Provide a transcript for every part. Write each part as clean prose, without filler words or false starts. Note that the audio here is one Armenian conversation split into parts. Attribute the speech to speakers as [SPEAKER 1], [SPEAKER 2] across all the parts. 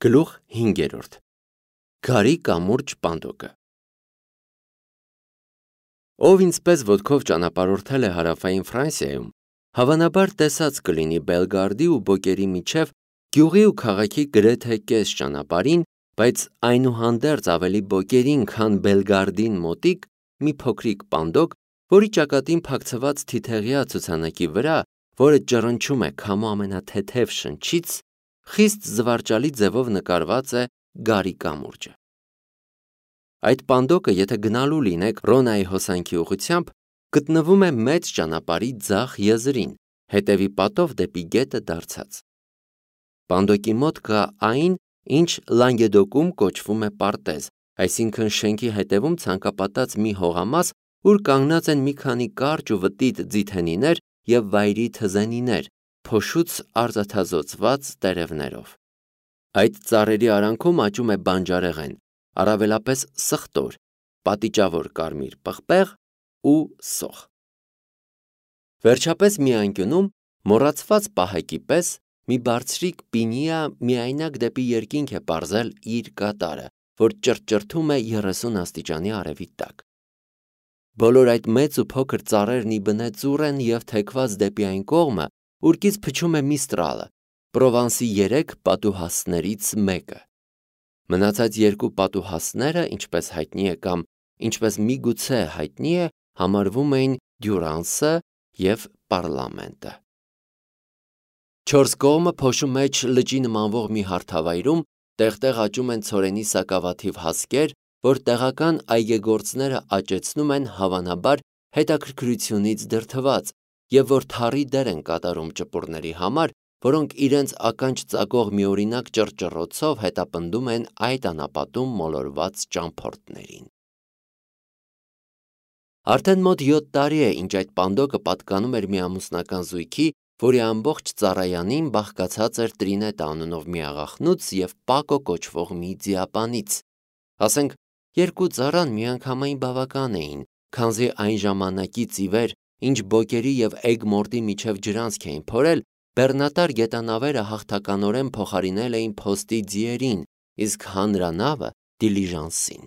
[SPEAKER 1] Գլուխ 5. Գարի կամուրջ պանդոկը Ով ինձպես ոտքով ճանապարհորդել է հարավային Ֆրանսիայում, հավանաբար տեսած կլինի Բելգարդի ու Բոկերի միջև գյուղի ու քաղաքի գրեթե կես ճանապարհին, բայց այնուհանդերձ ավելի Բոկերին, քան Բելգարդին մոտիկ մի փոքրիկ պանդոկ, որի ճակատին փակցված թիթեղյա ցուցանակի վրա, որը ճռնչում է քամու ամենաթեթև շնչից, խիստ զվարճալի ձևով նկարված է գարի կամուրջը։ Այդ պանդոկը, եթե գնալու լինեք Ռոնայի հոսանքի ուղղությամբ, գտնվում է մեծ ճանապարհի ձախ եզրին, հետևի պատով դեպի գետը դարձած։ Պանդոկի մոտ կա այն, ինչ Լանգեդոկում կոչվում է պարտեզ, այսինքն շենքի հետևում ցանկապատած մի հողամաս, ուր կանգնած են մի քանի կարճ ու վտիտ ձիթենիներ և վայրի թզենիներ, փոշուց արծաթազօծված տերևներով։ Այդ ծառերի արանքում աճում է բանջարեղեն, առավելապես սխտոր, պատիճավոր կարմիր պղպեղ ու սոխ։ Վերջապես մի անկյունում, մոռացված պահակի պես, մի բարձրիկ պինիա միայնակ դեպի երկինք է պարզել իր կատարը, որ ճռճռթում է 30 աստիճանի արևի տակ։ Բոլոր այդ մեծ ու փոքր ծառերն ի բնե ծուռ են և թեքված դեպի այն կողմը, ուր փչում է Միստրալը, Պրովանսի 3 պատուհասներից մեկը։ Մնացած երկու պատուհասները, ինչպես հայտնի է կամ ինչպես միգուցե հայտնի է, համարվում էին Դյուրանսը և Պառլամենտը։ Չորս կողմը փոշու մեջ լճի նմանվող մի հարթավայրում տեղ-տեղ աճում են ցորենի սակավաթիվ հասկեր, որ տեղական այգեգործները աճեցնում են հավանաբար հետաքրքրությունից դրդված և որ թառի դեր են կատարում ճպուռների համար, որոնք իրենց ականջ ծակող միօրինակ ճռճռոցով հետապնդում են այդ անապատում մոլորված ճամփորդներին։ Արդեն մոտ 7 տարի է, ինչ այդ պանդոկը պատկանում էր մի ամուսնական զույգի, որի ամբողջ ծառայանին բաղկացած էր Տրինետա անունով մի աղախնուց և Պակո կոչվող մի ձիապանից։ Ասենք, երկու ծառան միանգամայն բավական էին, քանզի այն ժամանակից ի վեր, ինչ Բոկերի և Էգմորտի միջև ջրանցք էին փորել, բեռնատար գետանավերը հաղթականորեն փոխարինել էին փոստի ձիերին, իսկ հանրանավը դիլիժանսին։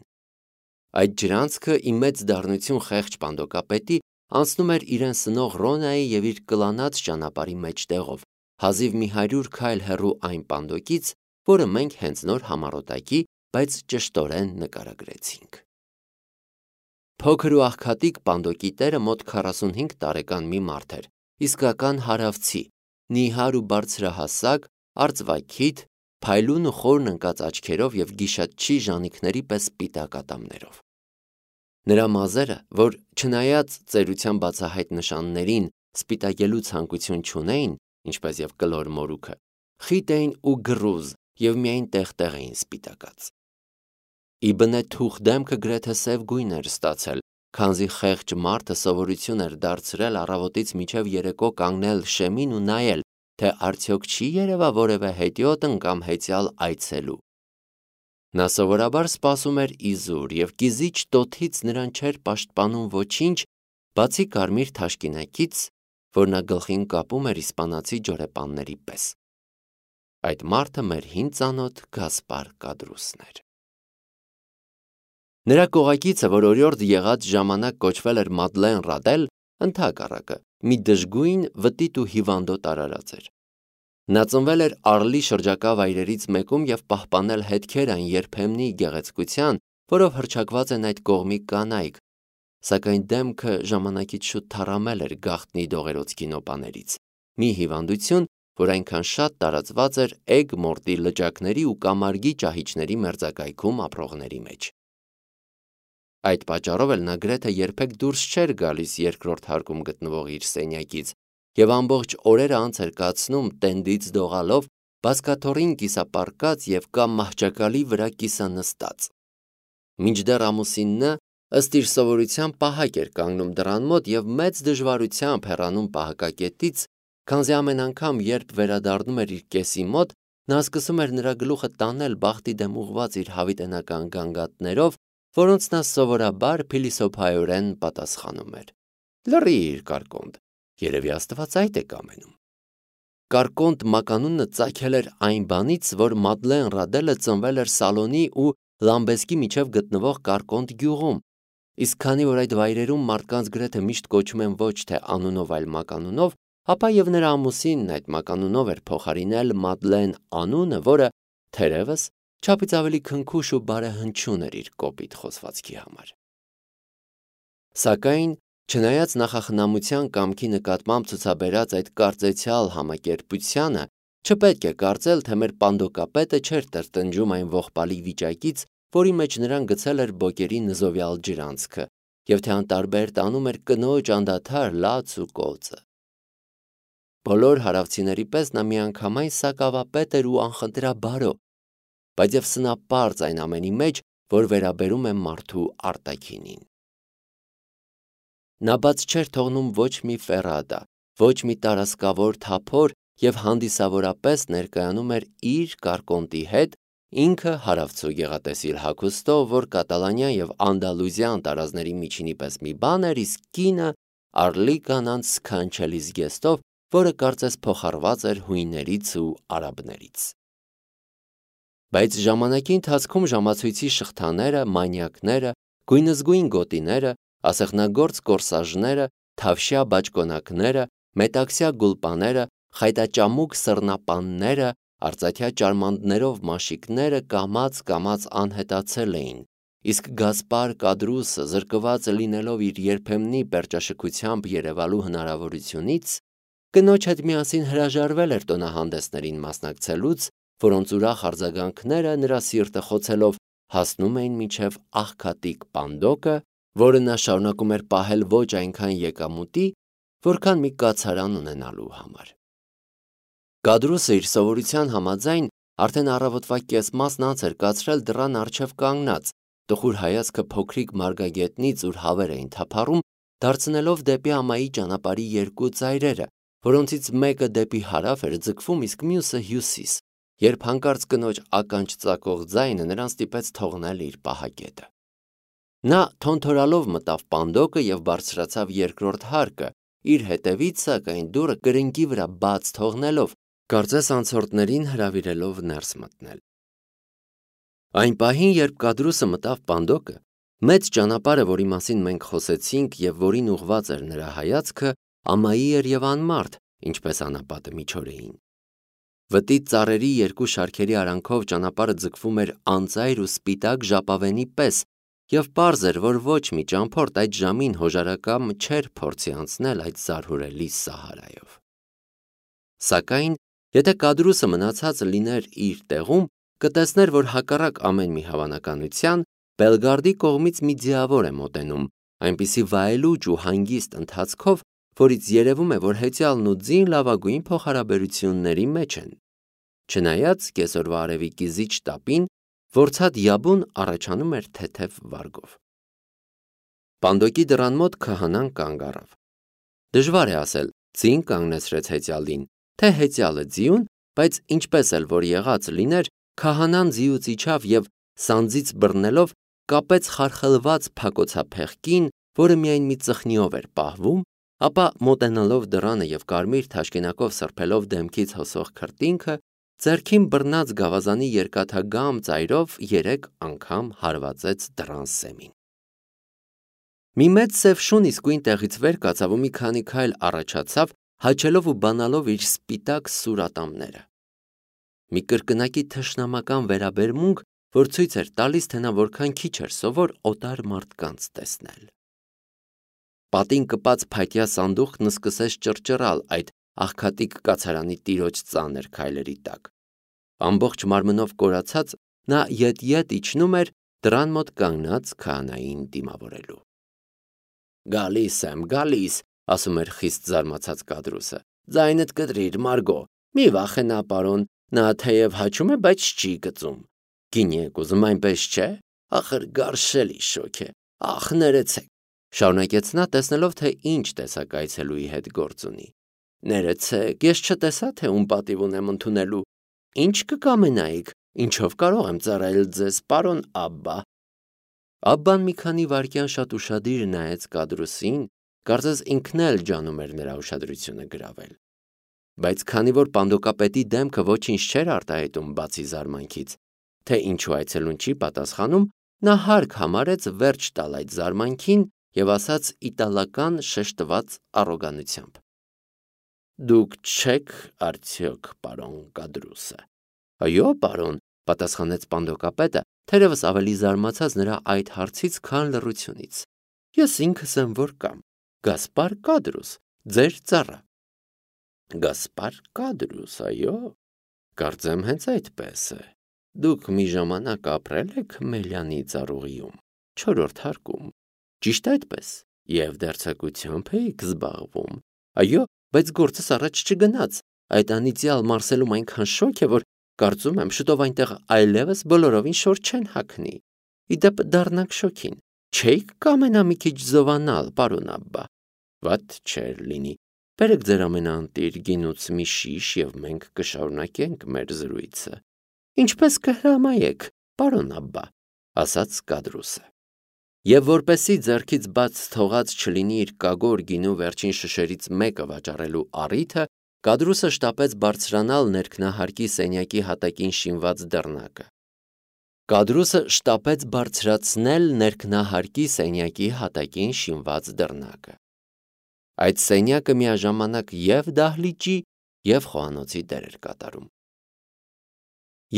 [SPEAKER 1] Այդ ջրանցքը ի մեծ դառնություն խեղճ պանդոկապետի անցնում էր իրեն սնող Ռոնայի և իր կլանած ճանապարհի մեջտեղով, հազիվ մի 100 քայլ հեռու այն պանդոկից, որը մենք հենց նոր համառոտակի, բայց ճշտորեն նկարագրեցինք։ Փոքր ու աղքատիկ պանդոկի տերը մոտ 45 տարեկան մի մարդ էր, իսկական հարավցի, նիհար ու բարձրահասակ, արծվաքիթ, փայլուն ու խորն ընկած աչքերով և գիշատչի ժանիքների պես սպիտակ ատամներով։ Նրա մազերը, որ չնայած ծերության բացահայտ նշաններին սպիտակելու ցանկություն չունեին, ինչպես և կլոր մորուքը, խիտ էին ու գռուզ և միայն տեղ-տեղ էին սպիտակած։ Ի բնե թուխ դեմքը գրեթե սև գույն էր ստացել, քանզի խեղճ մարդը սովորություն էր դարձրել առավոտից մինչև երեկո կանգնել շեմին ու նայել, թե արդյոք չի երևա որևէ հետիոտն կամ հեծյալ այցելու։ Նա սովորաբար սպասում էր իզուր և կիզիչ տոթից նրան չէր պաշտպանում ոչինչ, բացի կարմիր թաշկինակից, որ նա գլխին կապում էր իսպանացի ջորեպանների պես։ Այդ մարդը մեր հին ծանոթ Գասպար Կադրուսն էր։ Նրա կողակիցը, որ օրիորդ եղած ժամանակ կոչվել էր Մադլեն Ռադել, ընդհակառակը, մի դժգույն, վտիտ ու հիվանդոտ արարած էր։ Նա ծնվել էր Արլի շրջակա վայրերից մեկում և պահպանել հետքեր այն երբեմնի գեղեցկության, որով հռչակված են այդ կողմի կանայք, սակայն դեմքը ժամանակից շուտ թառամել էր գաղտնի դողերոց կինոպաներից, մի հիվանդություն, որ այնքան շատ տարածված էր Էգմորտի լճակների ու կամարգի ճահիճների մերձակայքում ապրողների մեջ։ Այդ պատճառով էլ նա գրեթե երբեք դուրս չէր գալիս երկրորդ հարկում գտնվող իր սենյակից և ամբողջ օրերը անց էր կացնում տենդից դողալով, բազկաթոռին կիսապառկած և կամ մահճակալի վրա կիսանստած։ Մինչդեռ ամուսինը ըստ իր սովորության պահակ էր կանգնում դռան մոտ և մեծ դժվարությամբ հեռանում պահակակետից, քանզի ամեն անգամ, երբ վերադառնում էր իր կեսի մոտ, նա սկսում էր նրա գլուխը տանել բախտի դեմ ուղղված իր հավիտենական գանգատներով, որոնց նա սովորաբար փիլիսոփայորեն պատասխանում էր. «Լռիր, կարկոնդ, երևի Աստված այդ է կամենում»։ Կարկոնտ մականունը ծագել էր այն բանից, որ Մադլեն Ռադելը ծնվել էր Սալոնի ու Լամբեսկի միջև գտնվող Կարկոնտ գյուղում, իսկ քանի որ այդ վայրերում մարդկանց գրեթե միշտ կոչում են ոչ թե անունով, այլ մականունով, ապա եւ նրա ամուսինն այդ մականունով էր փոխարինել Մադլեն անունը, որը թերևս չափից ավելի քնքուշ ու բարեհնչյուն էր իր կոպիտ խոսվածքի համար։ Սակայն, չնայած նախախնամության կամքի նկատմամբ ցուցաբերած այդ կարծեցյալ համակերպությանը, չպետք է կարծել, թե մեր պանդոկապետը չէր տրտնջում այն ողբալի վիճակից, որի մեջ նրան գցել էր Բոկերի նզովյալ ջրանցքը, եւ թե անտարբեր տանում էր կնոջ անդադար լաց ու կոծը։ Բոլոր հարավցիների պես նա միանգամայն սակավապետ էր ու անխնդրաբարո, բայց եւ սնապարծ այն ամենի մեջ, որ վերաբերում է մարդու արտաքինին։ Նա բաց չէր թողնում ոչ մի ֆերադա, ոչ մի տարասկավոր թափոր եւ հանդիսավորապես ներկայանում էր իր Կարկոնտի հետ, ինքը հարավցու գեղատեսիլ հագուստով, որ Կատալանիա եւ Անդալուզիան տարազների միջինի պես մի բան էր, իսկ կինը Արլի կանանց սքանչելի զգեստով, որը կարծես փոխառված էր հույներից ու արաբներից։ Բայց ժամանակի ընթացքում ժամացույցի շղթաները, մանյակները, գույնզգույն գոտիները, ասեղնագործ կորսաժները, թավշյա բաճկոնակները, մետաքսյա գուլպաները, խայտաճամուկ սռնապանները, արծաթյա ճարմանդներով մաշիկները կամաց անհետացել էին, իսկ Գասպար Կադրուսը, զրկված լինելով իր երբեմնի պերճաշքությամբ երևալու հնարավորությունից, կնոջ հետ միասին հրաժարվել էր տոնահանդեսներին մասնակցելուց, որոնց ուրախ արձագանքները նրա սիրտը խոցելով հասնում էին մինչև աղքատիկ պանդոկը, որը նա շարունակում էր պահել ոչ այնքան եկամուտի, որքան մի կացարան ունենալու համար։ Կադրուսը իր սովորության համաձայն արդեն առավոտվա կեսմասն անց էր կացրել դռան առջև կանգնած, տխուր հայացքը փոքրիկ մարգագետնից, ուր հավեր էին թափառում, դարձնելով դեպի ամայի ճանապարհի երկու ծայրերը, որոնցից մեկը դեպի հարավ էր ձգվում, իսկ մյուսը հյուսիս, երբ հանկարծ կնոջ ականջ ծակող ձայնը նրան ստիպեց թողնել իր պահակետը։ Նա թոնթորալով մտավ պանդոկը եւ բարձրացավ երկրորդ հարկը, իր հետևից սակայն դուռը կրնկի վրա բաց թողնելով, կարծես անցորդներին հրավիրելով ներս մտնել։ Այն պահին, երբ Կադրուսը մտավ պանդոկը, մեծ ճանապարհը, որի մասին մենք խոսեցինք եւ որին ուղված էր նրա հայացքը, ամայի էր եւ անմարդ, ինչպես անապատը միջօրեին։ Վտի ծառերի երկու շարքերի արանքով ճանապարհը ձգվում էր անծայր ու սպիտակ ժապավենի պես, եւ պարզ էր, որ ոչ մի ճամփորդ այդ ժամին հոժարակամ չէր փորձի անցնել այդ զարհուրելի Սահարայով։ Սակայն, եթե Կադրուսը մնացած լիներ իր տեղում, կտեսներ, որ հակառակ ամեն մի հավանականության, Բելգարդի կողմից մի ձիավոր է մոտենում, այնպիսի վայելուչ ու հանգիստ ընթացքով, որից երևում է, որ հեծյալն ու ձին լավագույն փոխհարաբերությունների մեջ են։ Չնայած կեսօրվա արևի կիզիչ տապին, որցած յաբուն առաջանում էր թեթև վարգով։ Պանդոկի դռան մոտ քահանան կանգ առավ։ Դժվար է ասել, ձին կանգնեցրեց հեծյալին, թե հեծյալը ձիուն, բայց ինչպես էլ որ եղած լիներ, քահանան ձիուց իջավ եւ սանձից բռնելով կապեց խարխլված փակոցափեղկին, որը միայն մի ծխնիով էր պահվում, ապա մոտենալով դռանը եւ կարմիր թաշկինակով սրբելով դեմքից հոսող քրտինքը, ձեռքին բռնած գավազանի երկաթագամ ծայրով 3 անգամ հարվածեց դռան սեմին։ Մի մեծ սև շուն իսկույն տեղից վեր կացավ ու մի քանի քայլ առաջացավ, հաչելով ու բանալով իր սպիտակ սուր ատամները։ Մի կրկնակի թշնամական վերաբերմունք, որ ցույց էր տալիս, թե նա որքան քիչ էր սովոր օտար մարդկանց տեսնել։ Պատին կպած փայտյա սանդուղքն սկսեց ճռճռալ այդ աղքատիկ կացարանի տիրոջ ծանր քայլերի տակ։ Ամբողջ մարմնով կորացած նա ետ իջնում էր դռան մոտ կանգնած քահանային դիմավորելու։ Գալիս, ասում էր խիստ զարմացած Կադրուսը։ Ձայնդ կտրիր, Մարգո, մի վախենա, պարոն, նա թեև հաչում է, բայց չի գծում։ Գինի եք ուզում, այնպես չէ։ Ախր գարշելի շոք է։ Ախ, ներեցեք, շարունակեց նա, տեսնելով, թե ինչ տեսակ այցելուի հետ գործ ունի։ Ներեցեք, ես չտեսա, թե ում պատիվ ունեմ ընդունելու։ Ինչ կկամենայիք, ինչով կարող եմ ծառայել ձեզ, պարոն Աբբա։ Աբբան մի քանի վայրկյան շատ ուշադիր նայեց Կադրուսին, կարծես ինքն էլ ջանում էր նրա ուշադրությունը գրավել։ Բայց քանի որ պանդոկապետի դեմքը ոչինչ չէր արտահայտում բացի զարմանքից, թե ինչու այցելուն չի պատասխանում, նա հարկ համարեց վերջ տալ այդ զարմանքին և ասաց իտալական շեշտված առոգանությամբ. «Դուք չեք արդյոք պարոն Կադրուսը»։ «Այո, պարոն», պատասխանեց պանդոկապետը, թերևս ավելի զարմացած նրա այդ հարցից, քան լռությունից։ «Ես ինքս եմ որ կամ, Գասպար Կադրուս, ձեր ծառա»։ «Գասպար Կադրուս, այո, կարծեմ հենց այդպես է։ Դուք մի ժամանակ ապրել եք Մելյանի ծառուղիում, 4-րդ հարկում, ճիշտ այդպես, և դերձակությամբ էիք զբաղվում։ Այո, բայց գործս առաջ չգնաց, այդ անիծյալ Մարսելում այնքան շոգ է, որ կարծում եմ շուտով այնտեղ այլևս բոլորովին շոր չեն հագնի։ Ի դեպ դառնանք շոգին, չէիք կամենա մի քիչ զովանալ, պարոն Աբբա։ Վատ չէր լինի, բերեք ձեր ամենաընտիր գինուց մի շիշ և մենք կշարունակենք մեր զրույցը։ Ինչպես կհրամայեք, պարոն Աբբա, ասաց Կադրուսը։ Եվ որպեսզի ձեռքից բաց թողած չլինի իր կագոր գինու վերջին շշերից մեկը վաճառելու առիթը, Կադրուսը շտապեց բարձրանալ ներքնահարկի սենյակի հատակին շինված դռնակը։ Կադրուսը շտապեց բարձրացնել ներքնահարկի սենյակի հատակին շինված դռնակը։ Այդ սենյակը միաժամանակ և դահլիճի, և խոհանոցի դեր էր կատարում։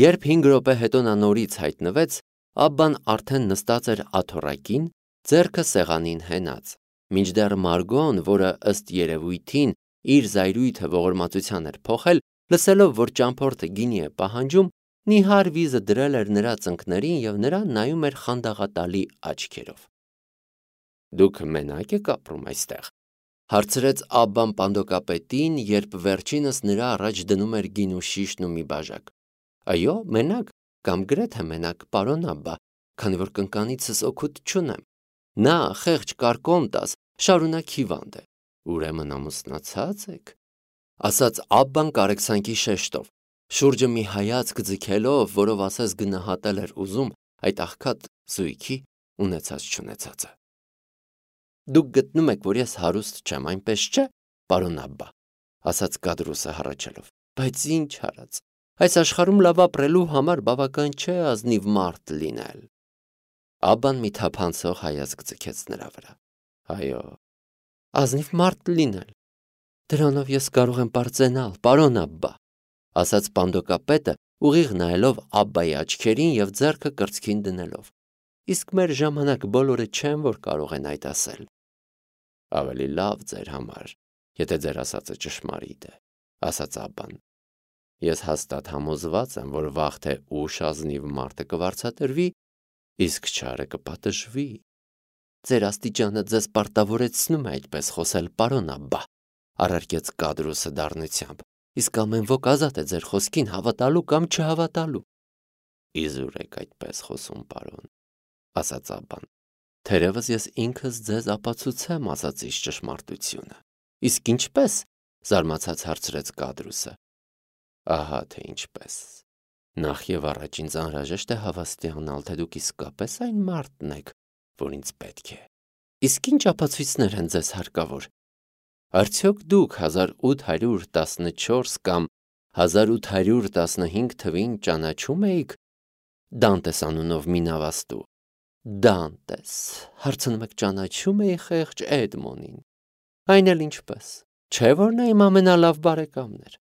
[SPEAKER 1] Երբ 5 րոպե հետո նա նորից հայտնվեց, Աբբան արդեն նստած էր աթոռակին, ձեռքը սեղանին հենած, մինչդեռ Մարգոն, որը ըստ երևույթին իր զայրույթը ողորմածության էր փոխել, լսելով, որ ճամփորդը գինի է պահանջում, նիհար վիզը դրել էր նրա ծնկներին և նրան նայում էր խանդաղատալի աչքերով։ «Դուք մենակ եք ապրում այստեղ», հարցրեց Աբբան պանդոկապետին, երբ վերջինս նրա առաջ դնում էր գինու շիշն ու մի բաժակ։ «Այո, մենակ, կամ գրեթե մենակ, պարոն Աբբա, քանի որ կնկանիցս օգուտ չունեմ։ Նա խեղճ Կարկոնտաս շարունակ հիվանդ է։ Ուրեմն ամուսնացած եք», ասաց Աբբան կարեկցանքի շեշտով, շուրջը մի հայացք ձգելով, որով ասես գնահատել էր ուզում այդ աղքատ զույգի ունեցած-չունեցածը։ «Դուք գտնում եք, որ ես հարուստ չեմ, այնպես չէ, պարոն Աբբա», ասաց Կադրուսը հառաչելով, բայց ինչ արած, այս աշխարհում լավ ապրելու համար բավական չէ ազնիվ մարդ լինել։ Աբբան մի թափանցող հայացք ձգեց նրա վրա։ «Այո, ազնիվ մարդ լինել, դրանով ես կարող եմ պարծենալ, պարոն Աբբա», ասաց պանդոկապետը, ուղիղ նայելով Աբբայի աչքերին և ձեռքը կրծքին դնելով։ «Իսկ մեր ժամանակ բոլորը չեն, որ կարող են այդ ասել»։ «Ավելի լավ ձեր համար, եթե ձեր ասածը ճշմարիտ է», ասաց Աբբան։ «Ես հաստատ համոզված եմ, որ վաղ թե ուշ ազնիվ մարդը կվարձատրվի, իսկ չարը կպատժվի։ Ձեր աստիճանը ձեզ պարտավորեցնում է այդպես խոսել, պարոն Աբբա», առարկեց Կադրուսը դառնությամբ, «իսկ ամեն ոք ազատ է ձեր խոսքին հավատալու կամ չհավատալու»։ «Իզուր եք այդպես խոսում, պարոն», ասաց Աբբան, «թերևս ես ինքս ձեզ ապացուցեմ ասածիս ճշմարտությունը»։ «Իսկ ինչպես», զարմացած հարցրեց Կադրուսը։ «Ահա թե ինչպես։ Նախ և առաջ ինձ անհրաժեշտ է հավաստիանալ, թե դուք իսկապես այն մարդն եք, որ ինձ պետք է։ Իսկ ինչ ապացույցներ են ձեզ հարկավոր։ Արդյոք դուք 1814 կամ 1815 թվին ճանաչում էիք Դանտես անունով մի նավաստու։ Դանտես, հարցնում եք, ճանաչում էի խեղճ Էդմոնին։ Այն էլ ինչպես, չէ՞ որ նա իմ ամենալավ բարեկամն էր»,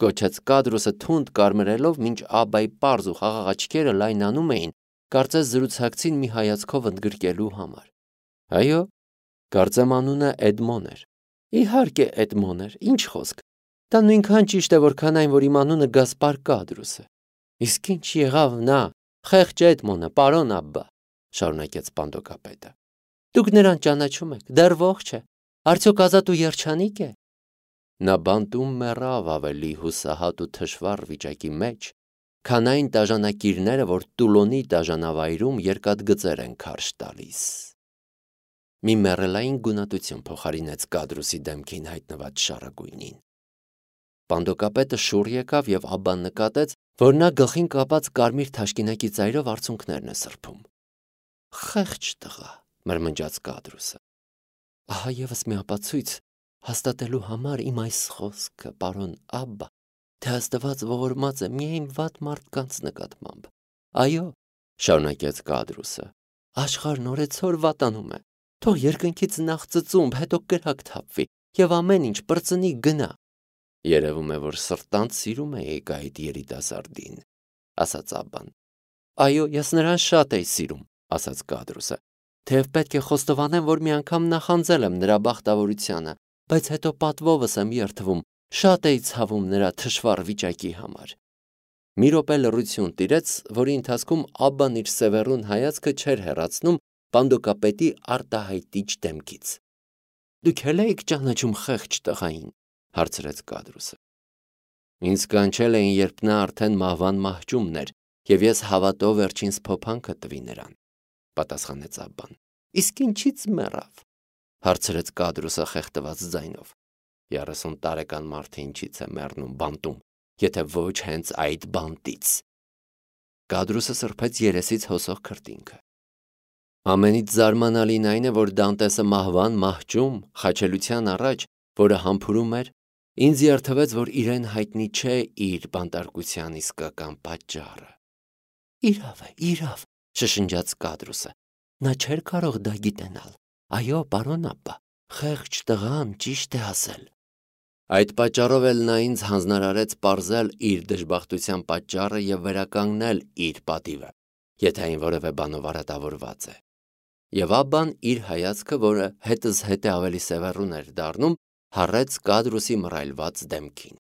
[SPEAKER 1] գոչեց Կադրուսը թունդ կարմրելով, մինչ Աբբայի պարզ ու խաղաղ աչքերը լայնանում էին, կարծես զրուցակցին մի հայացքով ընդգրկելու համար։ «Այո, կարծեմ անունը Էդմոն էր»։ «Իհարկե Էդմոն էր, ինչ խոսք։ Դա նույնքան ճիշտ է, որքան այն, որ իմ անունը Գասպար Կադրուս է։ Իսկ ինչ եղավ նա, խեղճ Էդմոնը, պարոն Աբբա», շարունակեց պանդոկապետը։ «Դուք նրան ճանաչում եք, դեռ ողջ է, արդյոք ազատ ու երջանիկ է»։ «Նա բանտում մեռավ ավելի հուսահատ ու թշվառ վիճակի մեջ, քան այն տաժանակիրները, որ Տուլոնի տաժանավայրում երկաթգծեր են քարշ տալիս»։ Մի մեռելային գունատություն փոխարինեց Կադրուսի դեմքին հայտնված շառագույնին։ Պանդոկապետը շուռ եկավ և Աբբան նկատեց, որ նա գլխին կապած կարմիր թաշկինակի ծայրով արցունքներն է սրբում։ «Խեղճ տղա», մրմնջաց Կադրուսը։ «Ահա ևս մի ապացույց, հաստատելու համար իմ այս խոսքը, պարոն Աբբա, թե Աստված ողորմած է միայն վատ մարդկանց նկատմամբ։ Այո, շարունակեց Կադրուսը, աշխարհն օրեցօր վատանում է։ Թող երկնքից նախ ծծումբ, հետո կրակ թափվի, եւ ամեն ինչ բրծնի գնա։ Երևում է, որ սրտանց սիրում եք այդ երիտասարդին, ասաց Աբբան։ Այո, ես նրան շատ էի սիրում, ասաց Կադրուսը, թեև պետք է խոստովանեմ, որ մի անգամ նախանձել եմ նրա բախտավորությանը, բայց հետո պատվովս եմ երդվում, շատ էի ցավում նրա թշվառ վիճակի համար։ Մի րոպե լռություն տիրեց, որի ընթացքում Աբբան իր սևեռուն հայացքը չէր հեռացնում պանդոկապետի արտահայտիչ դեմքից։ Դուք էլ եք ճանաչում խեղճ տղային, հարցրեց Կադրուսը։ Ինձ կանչել էին, երբ նա արդեն մահվան մահճումն էր, եւ ես հավատով վերջինս փոփանքը տվի նրան, պատասխանեց Աբբան։ Իսկ ինչից մեռավ, հարցրեց Կադրուսը խեղդված ձայնով։ 30 տարեկան մարդը ինչից է մեռնում բանտում, եթե ոչ հենց այդ բանտից։ Կադրուսը սրբեց երեսից հոսող քրտինքը։ Ամենից զարմանալին այն է, որ Դանտեսը մահվան մահճում, խաչելության առաջ, որը համբուրում էր, ինձ երթվեց, որ իրեն հայտնի չէ իր բանտարկության իսկական պատճառը։ Իրավ, շշնջաց Կադրուսը։ Նա չէր կարող դա գիտենալ։ Այո, պարոն Աբբա, խեղճ տղան ճիշտ է ասել։ Այդ պատճառով էլ նա ինձ հանձնարարեց պարզել իր դժբախտության պատճառը եւ վերականգնել իր պատիվը, եթե այն որևէ բանով արատավորված է։ Եվ Աբբան իր հայացքը, որը հետզհետե ավելի սևեռուն էր դառնում, հառեց Կադրուսի մռայլված դեմքին։